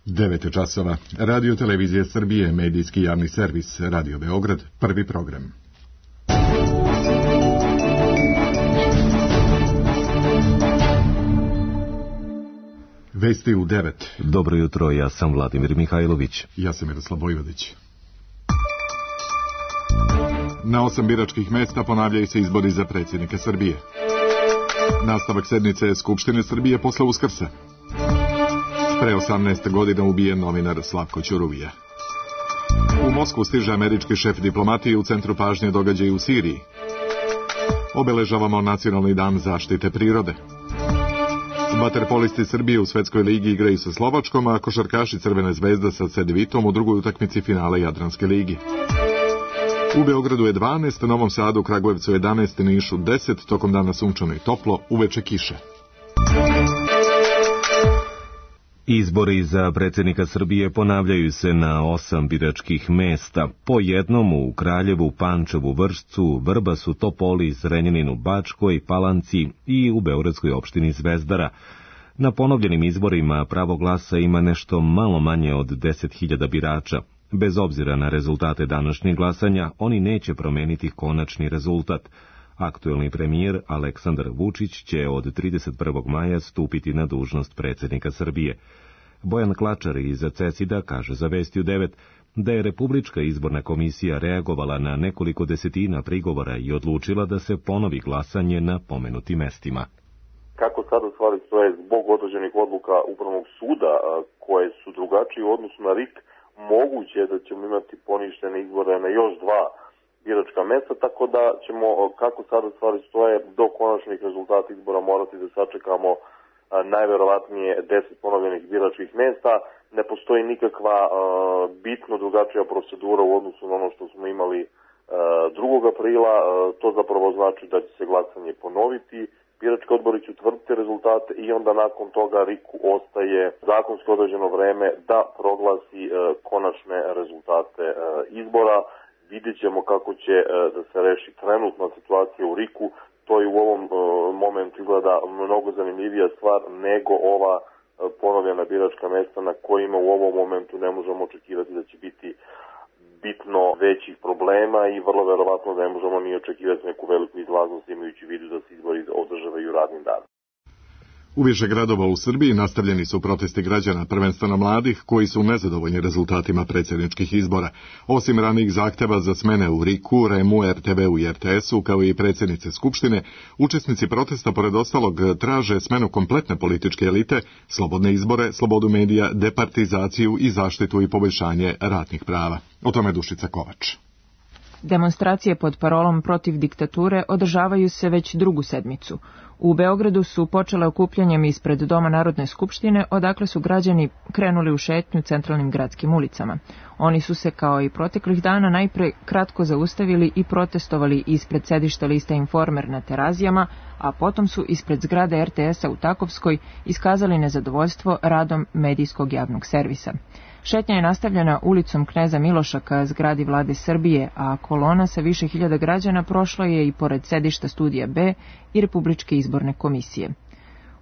9 časova. Radio Televizija Srbije, medijski javni servis, Radio Beograd, prvi program. Vesti u 9. Dobro jutro, ja sam Vladimir Mihajlović. Ja sam Miroslav Vojvodić. Na 8 biračkih mesta ponavljaju se izbori za predsjednika Srbije. Nastavak sednice Skupštine Srbije posle Uskrsa. Pre 18 godina ubijen novinar Slavko Ćuruvija. U Moskvu stiže američki šef diplomatije, u centru pažnje događaji u Siriji. Obeležavamo Nacionalni dan zaštite prirode. Vaterpolisti Srbije u Svetskoj ligi igraju sa Slovačkom, a košarkaši Crvene zvezde sa Cedvitom u drugoj utakmici finale Jadranske ligi. U Beogradu je 12, Novom Sadu, Kragujevcu 11, Nišu 10, tokom dana sunčano i toplo, uveče kiše. Izbori za predsjednika Srbije ponavljaju se na 8 biračkih mesta, po jednom u Kraljevu, Pančevu, Vršcu, Vrbasu, Topoli, Zrenjaninu, Bačkoj, Palanci i u beogradskoj opštini Zvezdara. Na ponovljenim izborima pravo glasa ima nešto malo manje od 10.000 birača. Bez obzira na rezultate današnjeg glasanja, oni neće promeniti konačni rezultat. Aktuelni premijer Aleksandar Vučić će od 31. maja stupiti na dužnost predsjednika Srbije. Bojan Klačar iz CESID-a kaže za Vesti u 9 da je Republička izborna komisija reagovala na nekoliko desetina prigovora i odlučila da se ponovi glasanje na pomenutim mestima. Kako sada stvari stoje zbog određenih odluka Upravnog suda koje su drugačije u odnosu na RIK, moguće je da ćemo imati poništene izbore na još 2 biračka mesta, tako da ćemo, kako sada stvari stoje, do konačnih rezultata izbora morati da sačekamo najverovatnije 10 ponovljenih biračkih mesta. Ne postoji nikakva bitno drugačija procedura u odnosu na ono što smo imali 2. aprila. To zapravo znači da će se glasanje ponoviti. Birački odbori će utvrditi rezultate i onda nakon toga RIK-u ostaje zakonski određeno vreme da proglasi konačne rezultate izbora. Vidjet ćemo kako će da se reši trenutna situacija u RIK-u. To je u ovom momentu izgleda mnogo zanimljivija stvar nego ova ponovljena biračka mesta na kojima u ovom momentu ne možemo očekivati da će biti bitno većih problema i vrlo verovatno ne možemo ni očekivati neku veliku izlaznost imajući u vidu da se izbori održavaju radnim danom. U više gradova u Srbiji nastavljeni su protesti građana, prvenstveno mladih, koji su nezadovoljni rezultatima predsjedničkih izbora. Osim ranijih zahteva za smene u RIK-u, REM-u, RTV-u i RTS-u, kao i predsjednice Skupštine, učesnici protesta, pored ostalog, traže smenu kompletne političke elite, slobodne izbore, slobodu medija, departizaciju i zaštitu i poboljšanje radnih prava. O tome Dušica Kovač. Demonstracije pod parolom protiv diktature održavaju se već drugu sedmicu. U Beogradu su počele okupljanjem ispred Doma Narodne skupštine, odakle su građani krenuli u šetnju centralnim gradskim ulicama. Oni su se, kao i proteklih dana, najpre kratko zaustavili i protestovali ispred sedišta lista Informer na Terazijama, a potom su ispred zgrade RTS-a u Takovskoj iskazali nezadovoljstvo radom medijskog javnog servisa. Šetnja je nastavljena ulicom Kneza Miloša ka zgradi Vlade Srbije, a kolona sa više hiljada građana prošla je i pored sedišta Studija B i Republičke izborne komisije.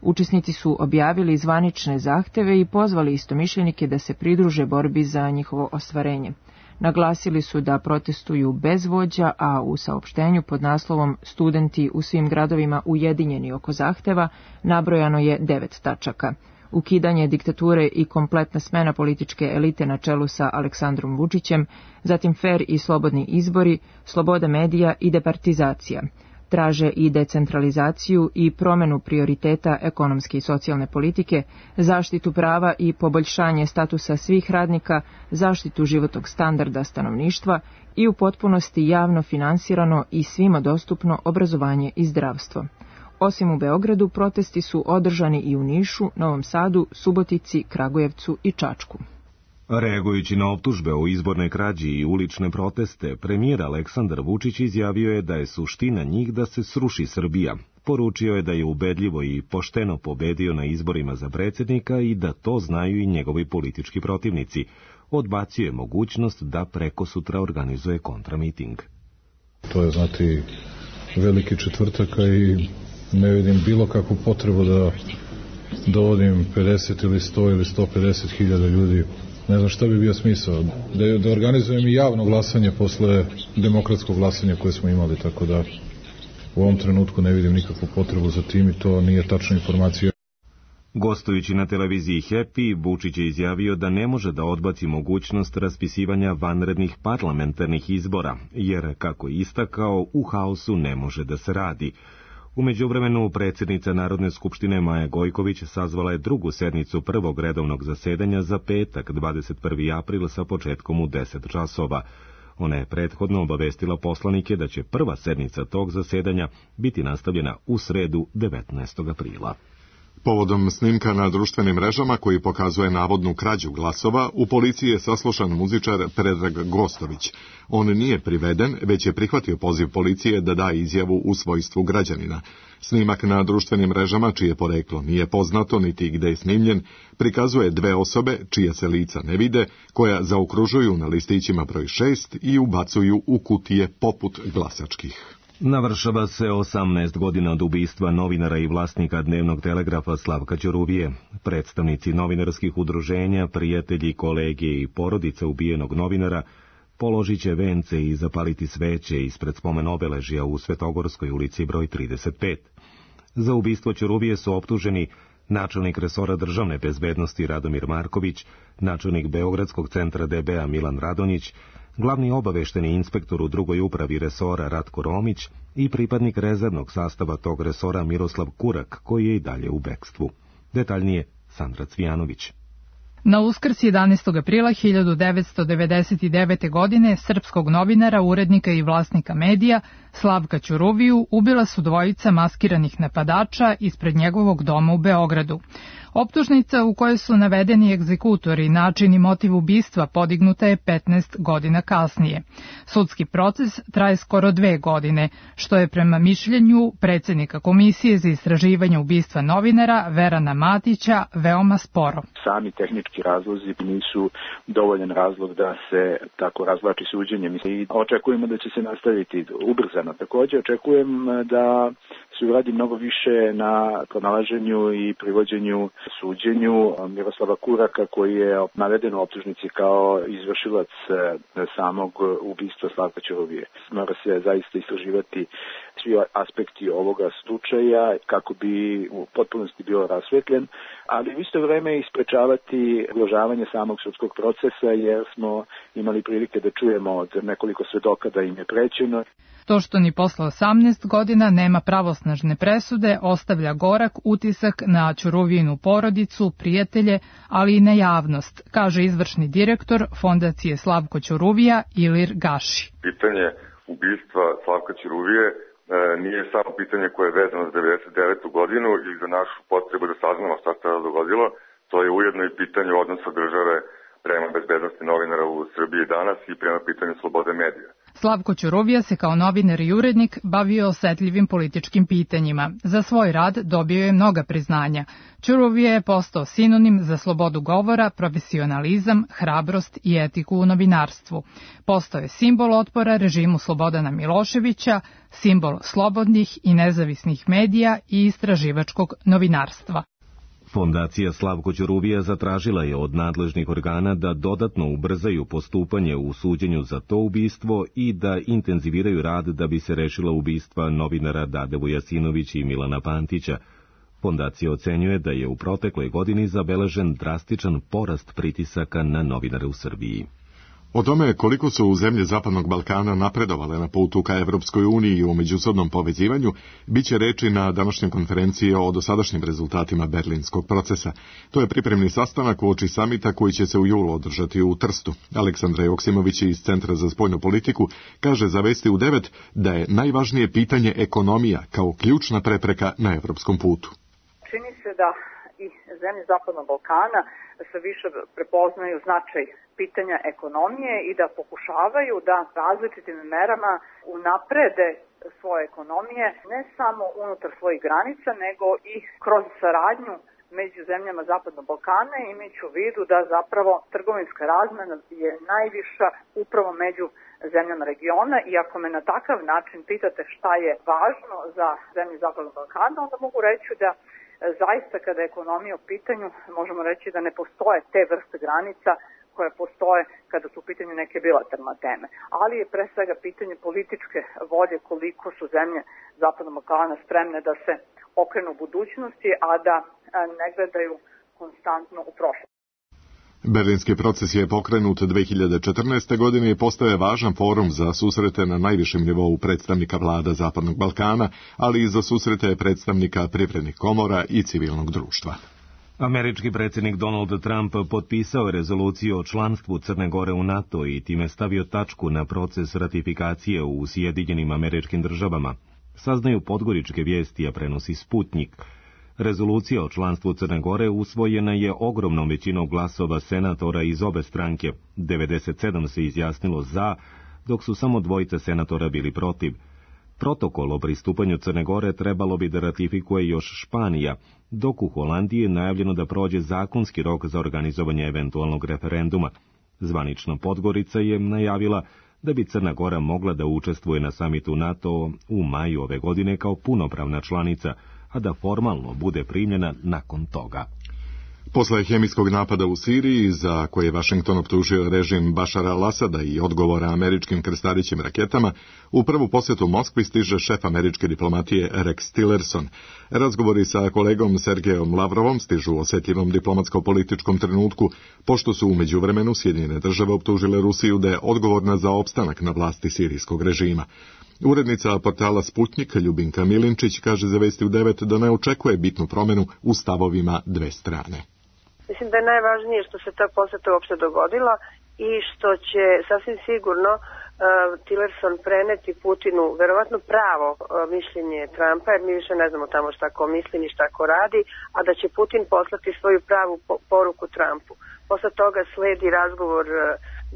Učesnici su objavili zvanične zahteve i pozvali istomišljenike da se pridruže borbi za njihovo ostvarenje. Naglasili su da protestuju bez vođa, a u saopštenju pod naslovom "Studenti u svim gradovima ujedinjeni oko zahteva" nabrojano je 9 tačaka. Ukidanje diktature i kompletna smena političke elite na čelu sa Aleksandrom Vučićem, zatim fer i slobodni izbori, sloboda medija i departizacija. Traže i decentralizaciju i promenu prioriteta ekonomske i socijalne politike, zaštitu prava i poboljšanje statusa svih radnika, zaštitu životnog standarda stanovništva i u potpunosti javno finansirano i svima dostupno obrazovanje i zdravstvo. Osim u Beogradu, protesti su održani i u Nišu, Novom Sadu, Subotici, Kragujevcu i Čačku. Reagujući na optužbe o izbornoj krađi i ulične proteste, premijer Aleksandar Vučić izjavio je da je suština njih da se sruši Srbija. Poručio je da je ubedljivo i pošteno pobedio na izborima za predsjednika i da to znaju i njegovi politički protivnici. Odbacio je mogućnost da prekosutra organizuje kontramiting. To je, znati, veliki četvrtak i ne vidim bilo kakvu potrebu da dovodim 50 ili 100 ili 150 hiljada ljudi. Ne znam šta bi bio smisao. Da organizujem i javno glasanje posle demokratskog glasanja koje smo imali, tako da u ovom trenutku ne vidim nikakvu potrebu za tim i to nije tačna informacija. Gostujući na televiziji Happy, Vučić je izjavio da ne može da odbaci mogućnost raspisivanja vanrednih parlamentarnih izbora, jer, kako je istakao, u haosu ne može da se radi. U međuvremenu, predsjednica Narodne skupštine Maja Gojković sazvala je drugu sednicu prvog redovnog zasedanja za petak, 21. april sa početkom u 10 časova. Ona je prethodno obavestila poslanike da će prva sednica tog zasedanja biti nastavljena u sredu 19. aprila. Povodom snimka na društvenim mrežama koji pokazuje navodnu krađu glasova, u policiji je saslušan muzičar Predrag Gostović. On nije priveden, već je prihvatio poziv policije da da izjavu u svojstvu građanina. Snimak na društvenim mrežama, čije poreklo nije poznato niti gde je snimljen, prikazuje dve osobe, čija se lica ne vide, koja zaokružuju na listićima broj 6 i ubacuju u kutije poput glasačkih. Navršava se 18 godina od ubistva novinara i vlasnika Dnevnog telegrafa Slavka Ćuruvije. Predstavnici novinarskih udruženja, prijatelji, kolege i porodica ubijenog novinara položit će vence i zapaliti sveće ispred spomen obeležja u Svetogorskoj ulici broj 35. Za ubistvo Ćuruvije su optuženi načelnik resora državne bezbednosti Radomir Marković, načelnik Beogradskog centra DB-a Milan Radonjić, glavni obavešteni inspektor u drugoj upravi resora Ratko Romić i pripadnik rezervnog sastava tog resora Miroslav Kurak, koji je i dalje u bekstvu. Detaljnije Sandra Cvijanović. Na Uskrs 11. aprila 1999. godine srpskog novinara, urednika i vlasnika medija Slavka Ćuruviju ubila su dvojica maskiranih napadača ispred njegovog doma u Beogradu. Optužnica u kojoj su navedeni egzekutori, način i motiv ubistva podignuta je 15 godina kasnije. Sudski proces traje skoro 2 godine, što je prema mišljenju predsjednika Komisije za istraživanje ubistva novinara Verana Matića veoma sporo. Sami tehnički razlozi nisu dovoljan razlog da se tako razvlači suđenje. I očekujemo da će se nastaviti ubrzano. Također očekujem da se uradi mnogo više na pronalaženju i privođenju suđenju Miroslava Kuraka, koji je naveden u optužnici kao izvršilac samog ubistva Slavka Ćuruvije. Mora se zaista istraživati svi aspekti ovoga slučaja kako bi u potpunosti bio rasvetljen, ali u isto vreme isprečavati ugrožavanje samog sudskog procesa, jer smo imali prilike da čujemo od nekoliko svedoka da im je prećeno. To što ni posle 18 godina nema pravosnažne presude ostavlja gorak utisak na Ćuruvijinu porodicu, prijatelje, ali i na javnost, kaže izvršni direktor Fondacije Slavko Ćuruvija Ilir Gaši. Pitanje ubistva Slavka Ćuruvije nije samo pitanje koje je vezano za 99. godinu i za našu potrebu da saznamo šta se dogodilo, to je ujedno i pitanje odnosa države prema bezbednosti novinara u Srbiji danas i prema pitanju slobode medija. Slavko Ćuruvija se kao novinar i urednik bavio osetljivim političkim pitanjima. Za svoj rad dobio je mnoga priznanja. Ćuruvija je postao sinonim za slobodu govora, profesionalizam, hrabrost i etiku u novinarstvu. Postao je simbol otpora režimu Slobodana Miloševića, simbol slobodnih i nezavisnih medija i istraživačkog novinarstva. Fondacija Slavko Ćuruvija zatražila je od nadležnih organa da dodatno ubrzaju postupanje u suđenju za to ubistvo i da intenziviraju rad da bi se rešila ubistva novinara Dade Vujasinović i Milana Pantića. Fondacija ocenjuje da je u protekloj godini zabeležen drastičan porast pritisaka na novinare u Srbiji. O tome koliko su zemlje Zapadnog Balkana napredovale na putu ka Evropskoj uniji i u međusobnom povezivanju, bit će reči na današnjoj konferenciji o dosadašnjim rezultatima berlinskog procesa. To je pripremni sastanak uoči samita koji će se u julu održati u Trstu. Aleksandra Joksimović iz Centra za spoljnu politiku kaže za Vesti u 9 da je najvažnije pitanje ekonomija kao ključna prepreka na evropskom putu. Čini se da i zemlje Zapadnog Balkana sve više prepoznaju značaj pitanja ekonomije i da pokušavaju da različitim merama unaprede svoje ekonomije ne samo unutar svojih granica, nego i kroz saradnju među zemljama Zapadnog Balkana, imajući u vidu da zapravo trgovinska razmena je najviša upravo među zemljama regiona i ako me na takav način pitate šta je važno za zemlje Zapadnog Balkana, onda mogu reći da zaista kada je ekonomija u pitanju, možemo reći da ne postoje te vrste granica koje postoje kada su u pitanju neke bilateralne teme. Ali je pre svega pitanje političke volje koliko su zemlje Zapadnog Balkana spremne da se okrenu u budućnosti, a da ne gledaju konstantno u prošlost. Berlinski proces je pokrenut 2014. godine i postaje važan forum za susrete na najvišem nivou predstavnika vlada Zapadnog Balkana, ali i za susrete predstavnika privrednih komora i civilnog društva. Američki predsjednik Donald Trump potpisao je rezoluciju o članstvu Crne Gore u NATO i time stavio tačku na proces ratifikacije u Sjedinjenim Američkim Državama. Saznaju podgoričke vijesti, a prenosi Sputnjik. Rezolucija o članstvu Crne Gore usvojena je ogromnom većinom glasova senatora iz obe stranke. 97 se izjasnilo za, dok su samo 2 senatora bili protiv. Protokol o pristupanju Crne Gore trebalo bi da ratifikuje još Španija, dok u Holandiji je najavljeno da prođe zakonski rok za organizovanje eventualnog referenduma. Zvanična Podgorica je najavila da bi Crna Gora mogla da učestvuje na samitu NATO u maju ove godine kao punopravna članica, a da formalno bude primljena nakon toga. Posle hemijskog napada u Siriji, za koje je Vašington optužio režim Bašara al-Asada i odgovora američkim krstarićim raketama, u prvu posjetu Moskvi stiže šef američke diplomatije Rex Tillerson. Razgovori sa kolegom Sergejom Lavrovom stižu u osjetljivom diplomatsko-političkom trenutku, pošto su u međuvremenu Sjedinjene Države optužile Rusiju da je odgovorna za opstanak na vlasti sirijskog režima. Urednica portala Sputnjik Ljubinka Milinčić kaže za Vesti u 9 da ne očekuje bitnu promjenu u stavovima dve strane. Mislim da je najvažnije što se ta posjeta uopšte dogodila i što će sasvim sigurno Tillerson preneti Putinu verovatno pravo mišljenje Trumpa, jer mi više ne znamo tamo šta ko misli ni šta ko radi, a da će Putin poslati svoju pravu poruku Trumpu. Posle toga sledi razgovor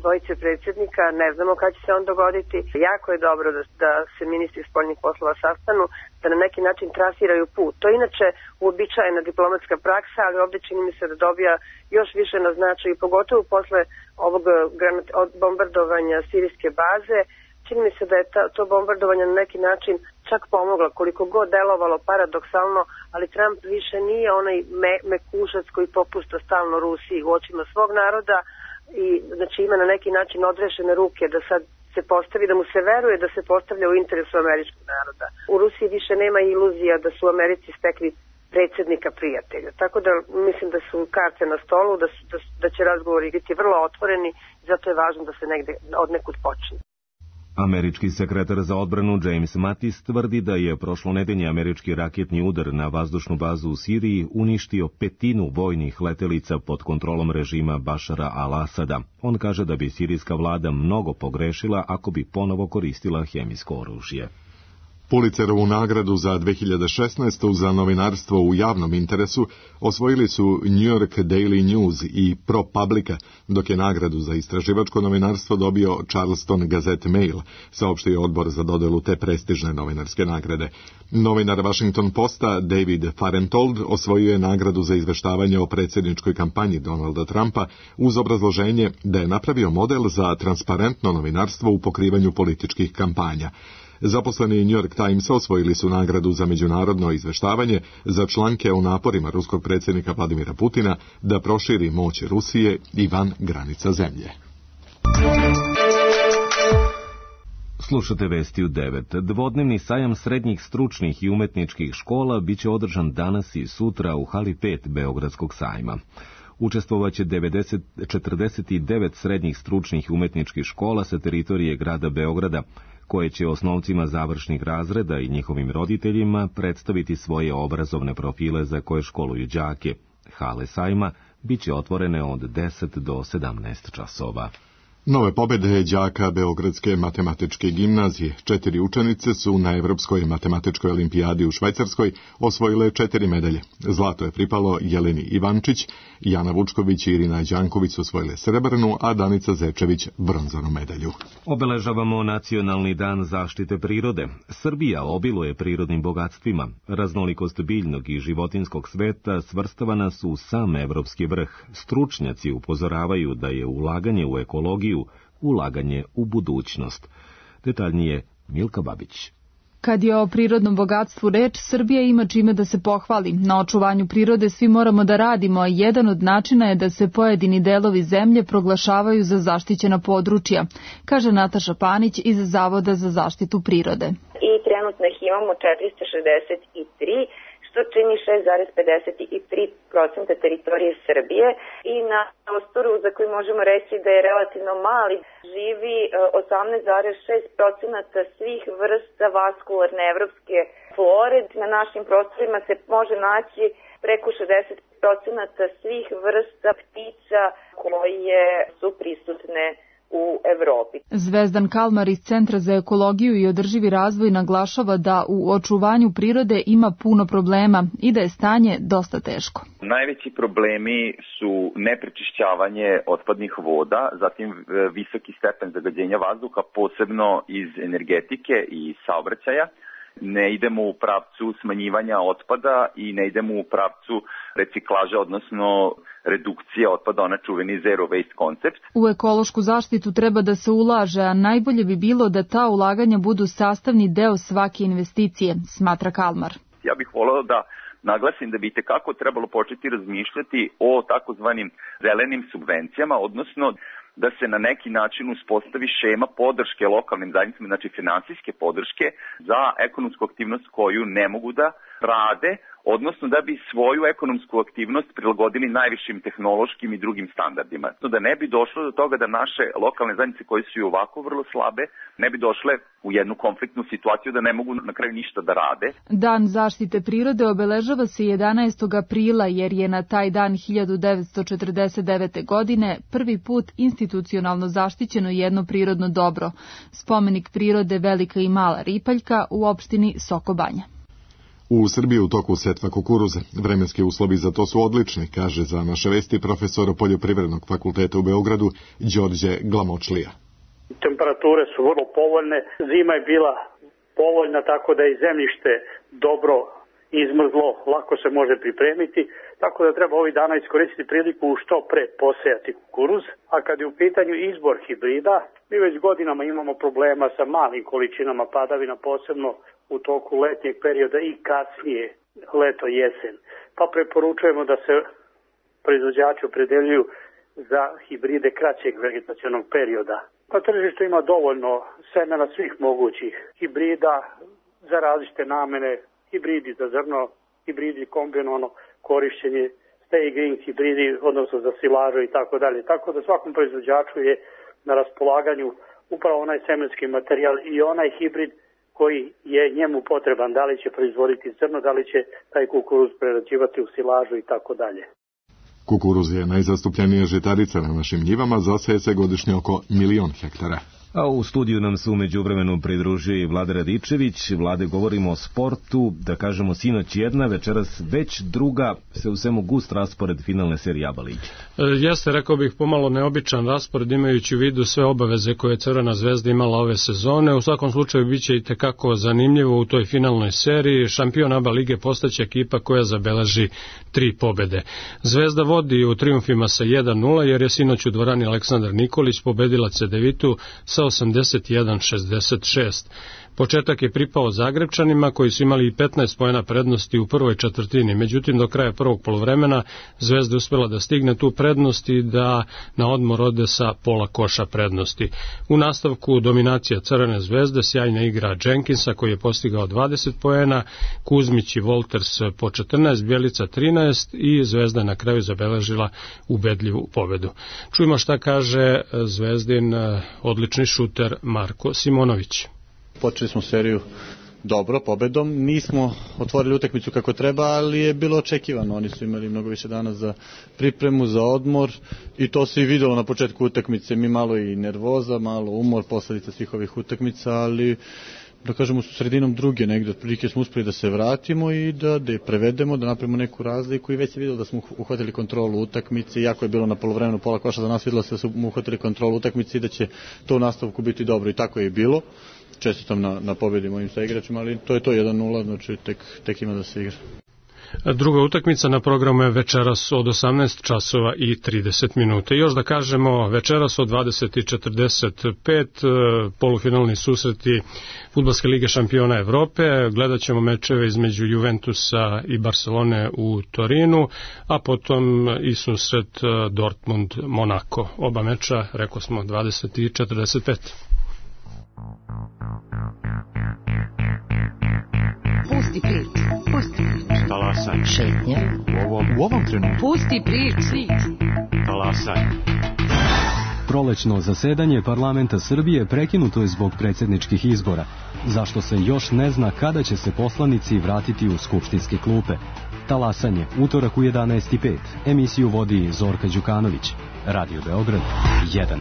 dvojice predsjednika, ne znamo kada će se on dogoditi. Jako je dobro da se ministri spoljnih poslova sastanu, da na neki način trasiraju put. To je inače uobičajena diplomatska praksa, ali ovdje čini mi se da dobija još više na značaju, pogotovo posle ovog bombardovanja sirijske baze. Čini mi se da je to bombardovanje na neki način čak pomoglo, koliko god delovalo paradoksalno, ali Trump više nije onaj mekušac koji popušta stalno Rusiji u očima svog naroda i znači ima na neki način odrešene ruke da sad se postavi, da mu se veruje da se postavlja u interesu američkog naroda. U Rusiji više nema iluzija da su Americi stekli predsjednika prijatelja. Tako da mislim da su karte na stolu, da će razgovori biti vrlo otvoreni, zato je važno da se negde odnekud počne. Američki sekretar za odbranu James Mattis tvrdi da je prošlonedeljni američki raketni udar na vazdušnu bazu u Siriji uništio 1/5 vojnih letelica pod kontrolom režima Bašara al-Asada. On kaže da bi sirijska vlada mnogo pogrešila ako bi ponovo koristila hemijsko oružje. Pulitzerovu nagradu za 2016. za novinarstvo u javnom interesu osvojili su New York Daily News i ProPublica, dok je nagradu za istraživačko novinarstvo dobio Charleston Gazette Mail, saopštio odbor za dodelu te prestižne novinarske nagrade. Novinar Washington Posta David Farentold osvojio je nagradu za izveštavanje o predsjedničkoj kampanji Donalda Trumpa uz obrazloženje da je napravio model za transparentno novinarstvo u pokrivanju političkih kampanja. Zaposleni New York Timesa osvojili su nagradu za međunarodno izveštavanje za članke o naporima ruskog predsjednika Vladimira Putina da proširi moć Rusije i van granica zemlje. Slušate Vesti u 9. Dvodnevni sajam srednjih stručnih i umetničkih škola biće održan danas i sutra u hali 5 Beogradskog sajma. Učestvovaće 49 srednjih stručnih i umetničkih škola sa teritorije grada Beograda, koje će osnovcima završnih razreda i njihovim roditeljima predstaviti svoje obrazovne profile za koje školuju đake. Hale sajma biće otvorene od 10 do 17 časova. Nove pobjede đaka Beogradske matematičke gimnazije. 4 učenice su na Evropskoj matematičkoj olimpijadi u Švajcarskoj osvojile 4 medalje. Zlato je pripalo Jeleni Ivančić, Jana Vučković i Irina Đanković su osvojile srebrnu, a Danica Zečević bronzanu medalju. Obeležavamo Nacionalni dan zaštite prirode. Srbija obiluje prirodnim bogatstvima. Raznolikost biljnog i životinskog sveta svrstavana su u sam evropski vrh. Stručnjaci upozoravaju da je ulaganje u ekologiju ulaganje u budućnost. Detaljnije Milka Babić. Kad je o prirodnom bogatstvu reč, Srbija ima čime da se pohvali. Na očuvanju prirode svi moramo da radimo, a jedan od načina je da se pojedini delovi zemlje proglašavaju za zaštićena područja, kaže Nataša Panić iz Zavoda za zaštitu prirode. I trenutno ih imamo 463, što čini 6,53% teritorije Srbije i na prostoru za koji možemo reći da je relativno mali živi 18,6% svih vrsta vaskularne evropske flore. Na našim prostorima se može naći preko 60% svih vrsta ptica koje su prisutne u Evropi. Zvezdan Kalmar iz Centra za ekologiju i održivi razvoj naglašava da u očuvanju prirode ima puno problema i da je stanje dosta teško. Najveći problemi su neprečišćavanje otpadnih voda, zatim visoki stepen zagađenja vazduha, posebno iz energetike i saobraćaja. Ne idemo u pravcu smanjivanja otpada i ne idemo u pravcu reciklaže, odnosno redukcije otpada, ona čuveni zero waste koncept. U ekološku zaštitu treba da se ulaže, a najbolje bi bilo da ta ulaganja budu sastavni deo svake investicije, smatra Kalmar. Ja bih voleo da naglasim da bi itekako trebalo početi razmišljati o takozvanim zelenim subvencijama, odnosno da se na neki način uspostavi šema podrške lokalnim zajednicama, znači finansijske podrške za ekonomsku aktivnost koju ne mogu da rade, odnosno da bi svoju ekonomsku aktivnost prilagodili najvišim tehnološkim i drugim standardima. Da ne bi došlo do toga da naše lokalne zajednice koje su i ovako vrlo slabe, ne bi došle u jednu konfliktnu situaciju da ne mogu na kraju ništa da rade. Dan zaštite prirode obeležava se 11. aprila jer je na taj dan 1949. godine prvi put institucionalno zaštićeno jedno prirodno dobro, spomenik prirode Velika i Mala Ripaljka u opštini Sokobanja. U Srbiji u toku setva kukuruza. Vremenski uslovi za to su odlični, kaže za naše vesti profesor Poljoprivrednog fakulteta u Beogradu Đorđe Glamočlija. Temperature su vrlo povoljne, zima je bila povoljna tako da je zemljište dobro izmrzlo, lako se može pripremiti, tako da treba ovih dana iskoristiti priliku što pre posejati kukuruz. A kad je u pitanju izbor hibrida, mi već godinama imamo problema sa malim količinama padavina, posebno u toku letnjeg perioda i kasnije leto jesen. Pa preporučujemo da se proizvođači opredeljuju za hibride kraćeg vegetacionog perioda. Na tržištu ima dovoljno semena svih mogućih hibrida za različite namene, hibridi za zrno, hibridi kombinovano korišćenje, stay green hibridi, odnosno za silažu i tako dalje. Tako da svakom proizvođaču je na raspolaganju upravo onaj semenski materijal i onaj hibrid koji je njemu potreban, da li će proizvoditi zrno, da li će taj kukuruz prerađivati u silažu i tako dalje. Kukuruz je najzastupljenija žitarica na našim njivama, zaseje se godišnje oko 1.000.000 hektara. A u studiju nam se umeđu vremenu pridružio i Vlada Radičević. Vlade, govorimo o sportu, da kažemo sinoć jedna, večeras već druga, se u svemu gust raspored finalne serije ABA lige. Jeste, rekao bih, pomalo neobičan raspored imajući u vidu sve obaveze koje je Crvena zvezda imala ove sezone. U svakom slučaju biće i tekako zanimljivo u toj finalnoj seriji. Šampion ABA lige postaće ekipa koja zabeleži 3 pobede. Zvezda vodi u trijumfima sa 1-0 jer je sinoć u dvorani Aleksandar Nikolić pobedila Cedevitu sa 81-66. Početak je pripao Zagrebčanima koji su imali 15 poena prednosti u prvoj četvrtini, međutim do kraja prvog poluvremena Zvezda uspela da stigne tu prednost i da na odmor ode sa pola koša prednosti. U nastavku dominacija Crvene zvezde, sjajna igra Jenkinsa koji je postigao 20 poena, Kuzmić i Wolters po 14, Bjelica 13 i Zvezda na kraju zabeležila ubedljivu pobedu. Čujmo šta kaže Zvezdin odlični šuter Marko Simonović. Počeli smo seriju dobro, pobedom. Nismo otvorili utakmicu kako treba, ali je bilo očekivano. Oni su imali mnogo više dana za pripremu, za odmor i to se i videlo na početku utakmice. Mi malo i nervoza, malo umor, posledica svih ovih utakmica, ali da kažemo su sredinom druge negde, otprilike smo uspeli da se vratimo i da je prevedemo, da napravimo neku razliku i već se videlo da smo uhvatili kontrolu utakmice, iako je bilo na polovremenu pola koša za nas, videlo se da smo uhvatili kontrolu utakmice i da će to u nastavku biti dobro i tako je i bilo. Čestitam na pobedi mojim saigračima, ali to je to 1-0, znači tek ima da se igra. Druga utakmica na programu je večeras od 18 časova i 30 minuta. Još da kažemo, večeras od 20:45 polufinalni susreti Fudbalske lige šampiona Evrope. Gledat ćemo mečeve između Juventusa i Barcelone u Torinu, a potom i susret Dortmund-Monako. Oba meča, rekao smo, 20:45. Pusti priču, pusti priču. Talasaj. Šetnja. U ovom trenutku. Pusti priču. Talasaj. Prolećno zasedanje parlamenta Srbije prekinuto je zbog predsjedničkih izbora, zašto se još ne zna kada će se poslanici vratiti u skupštinske klupe. Talasanje, utorak u 11:05. Emisiju vodi Zorka Đukanović. Radio Beograd 1.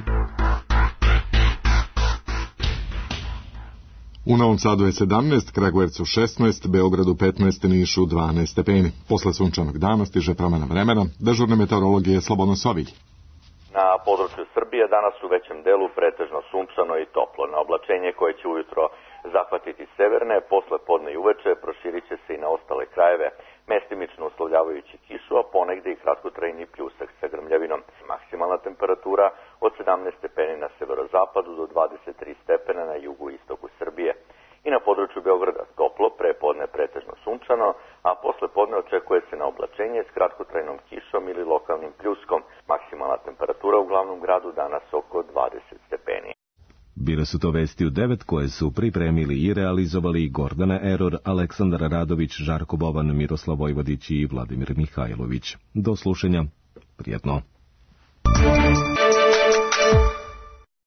U Novom Sadu je 17, Kragujevcu 16, Beogradu 15, Nišu 12 stepeni. Posle sunčanog dana stiže promena vremena, dežurne meteorologije Slobodan Sovilj. Na području Srbije danas u većem delu pretežno sunčano i toplo. Na oblačenje koje će ujutro zahvatiti severne, posle podne i uveče proširit će se i na ostale krajeve, mestimično uslovljavajući kišu, a ponegde i kratkotrajni pljusak sa grmljavinom. Maksimalna temperatura od 17 stepeni na severozapadu do 23 stepena na jugu i istoku Srbije. I na području Beograda toplo, prepodne pretežno sunčano, a posle podne očekuje se na oblačenje s kratkotrajnom kišom ili lokalnim pljuskom. Maksimalna temperatura u glavnom gradu danas oko 20 stepeni. Bile su to vesti u 9 koje su pripremili i realizovali Gordana Eror, Aleksandar Radović, Žarko Boban, Miroslav Vojvodić i Vladimir Mihajlović. Do slušanja. Prijetno.